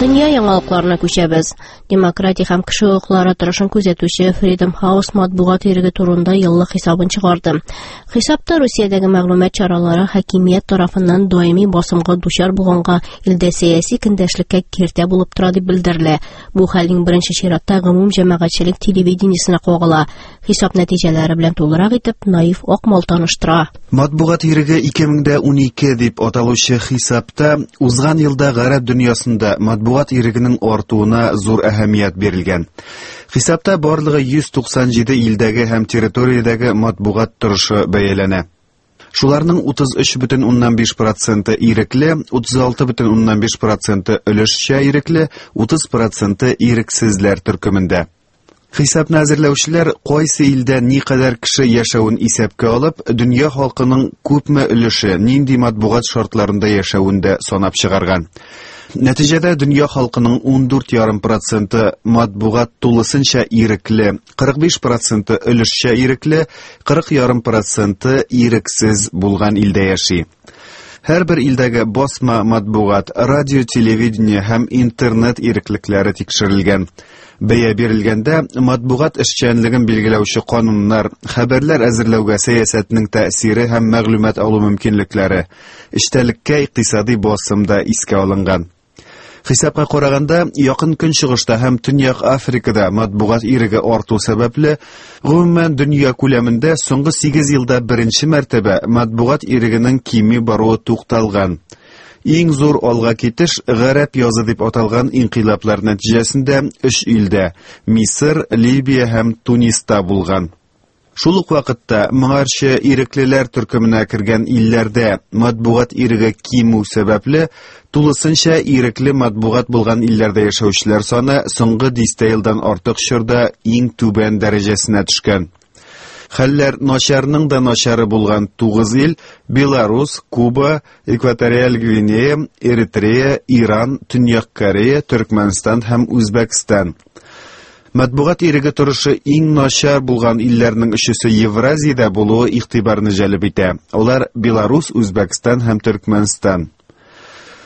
Дөнья яңалыкларына күчәбез. Демократия һәм кеше хокуклары торышын күзәтүче Freedom House матбугат иреге турында еллык хисабын чыгарды. Хисапта Русиядәге мәгълүмат чаралары хакимият тарафыннан даими басымга дучар булганга илдә сәяси көндәшлеккә киртә булып тора дип белдерелә. Бу хәлнең беренче чиратта гомум җәмәгатьчелек телевидениесенә кагыла. Хисап нәтиҗәләре белән тулырак итеп Наиф Акмал таныштыра. Матбугат иреге 2012 дип аталучы хисапта узган елда гарәп дөньясында матбугат ирегенең артуына зур әһәмият бирелгән. Хисапта барлыгы 197 илдәге һәм территориядәге матбугат торышы бәяләнә. Шуларның 33,5% ирекле, 36,5% өлешчә ирекле, 30% ирексезләр төркемендә. Хисапны әзерләүчеләр кайсы илдә никадәр кеше яшәвен исәпкә алып, дөнья халкының күпме өлеше нинди матбугат шартларында яшәвен дә санап чыгарган. Нәтиҗәдә дөнья халкының 14,5% матбугат тулысынча ирекле, 45% өлешчә ирекле, 40,5% ирексез булган илдә яши. Һәрбер илдәге басма матбугат, радио, телевидение һәм интернет иреклекләре тикшерелгән. Бәя бирелгәндә матбугат эшчәнлеген билгеләүче кануннар, хәбәрләр әзерләүгә сәясәтнең тәэсире һәм мәгълүмат алу мөмкинлекләре, эчтәлеккә икътисади басым да искә алынган. Хисапка караганда, Якын Көнчыгышта һәм Төньяк Африкада матбугат иреге арту сәбәпле, гомумән дөнья күләмендә соңгы 8 елда беренче мәртәбә матбугат ирегенең кими баруы тукталган. Иң зур алга китеш Гарәп язы дип аталган инкыйлаблар нәтиҗәсендә өч илдә Мисыр, Либия һәм Туниста булган. Шул ук вакытта моңарчы иреклеләр төркеменә кергән илләрдә матбугат иреге кимү сәбәпле, тулысынча ирекле матбугат булган илләрдә яшәүчеләр саны соңгы дистә елдан артык чорда иң түбән дәрәҗәсенә төшкән. Хәлләр начарның да начары булган 9 ил Беларус, Куба, Экваториаль Гвинея, Эритрея, Иран, Төньяк Корея, Төркмәнстан һәм Үзбәкстан. Матбугат иреге торышы иң начар булган илләрнең өчесе Евразиядә булуы игътибарны җәлеп итә. Алар Беларус, Үзбәкстан һәм Төркмәнстан.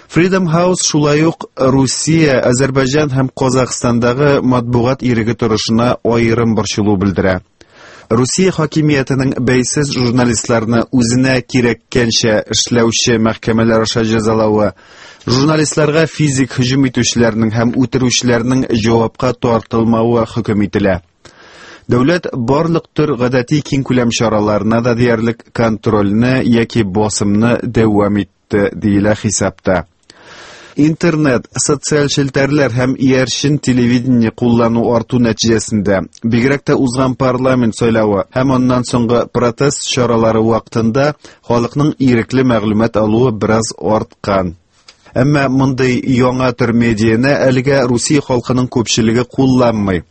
Freedom House шулай ук Русия, Азәрбайҗан һәм Казахстандагы матбугат иреге торышына аерым борчылу белдерә. Русия хакимиятенең бәйсез журналистларны үзенә кирәккәнчә эшләүче мәхкәмәләр аша җәзалавы, журналистларга физик һөҗүм итүчеләрнең һәм үтерүчеләрнең җавапка тартылмавы хөкем ителә. Дәүләт барлык төр гадәти киңкүләм чараларына да диярлек контрольне яки басымны дәвам итте, диелә хисапта. Интернет, социаль челтәрләр һәм иярчен телевидение куллану арту нәтиҗәсендә, бигрәк тә узган парламент сайлавы һәм аннан соңгы протест чаралары вакытында халыкның ирекле мәгълүмат алуы бераз арткан. Әмма мондый яңа төр медианы әлегә Русия халкының күпчелеге кулланмый.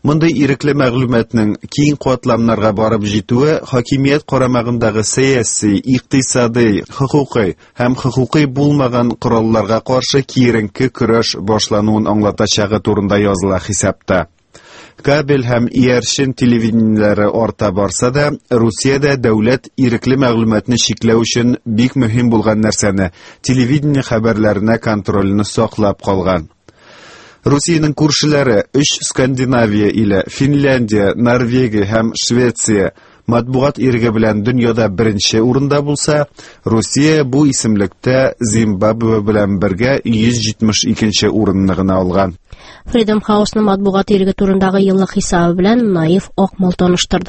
Мондый ирекле мәгълүматның киң катламнарга барып җитүе хакимият карамагындагы сәяси, икътисадый, хокукый һәм хокукый булмаган коралларга каршы киеренке көрәш башлануын аңлатачагы турында языла хисапта. Кабель һәм иярчен телевидениеләре арта барса да, Русиядә дәүләт ирекле мәгълүматны чикләү өчен бик мөһим булган нәрсәне телевидение хәбәрләренә контрольне саклап калган. Русиянең күршеләре өч Скандинавия иле, Финляндия, Норвегия һәм Швеция матбугат иреге белән дөньяда беренче урында булса, Русия бу исемлектә Зимбабве белән бергә 172 урынны гына алган. Freedom House'ның матбугат иреге турындагы еллык хисабы белән Наиф Акмал таныштырды.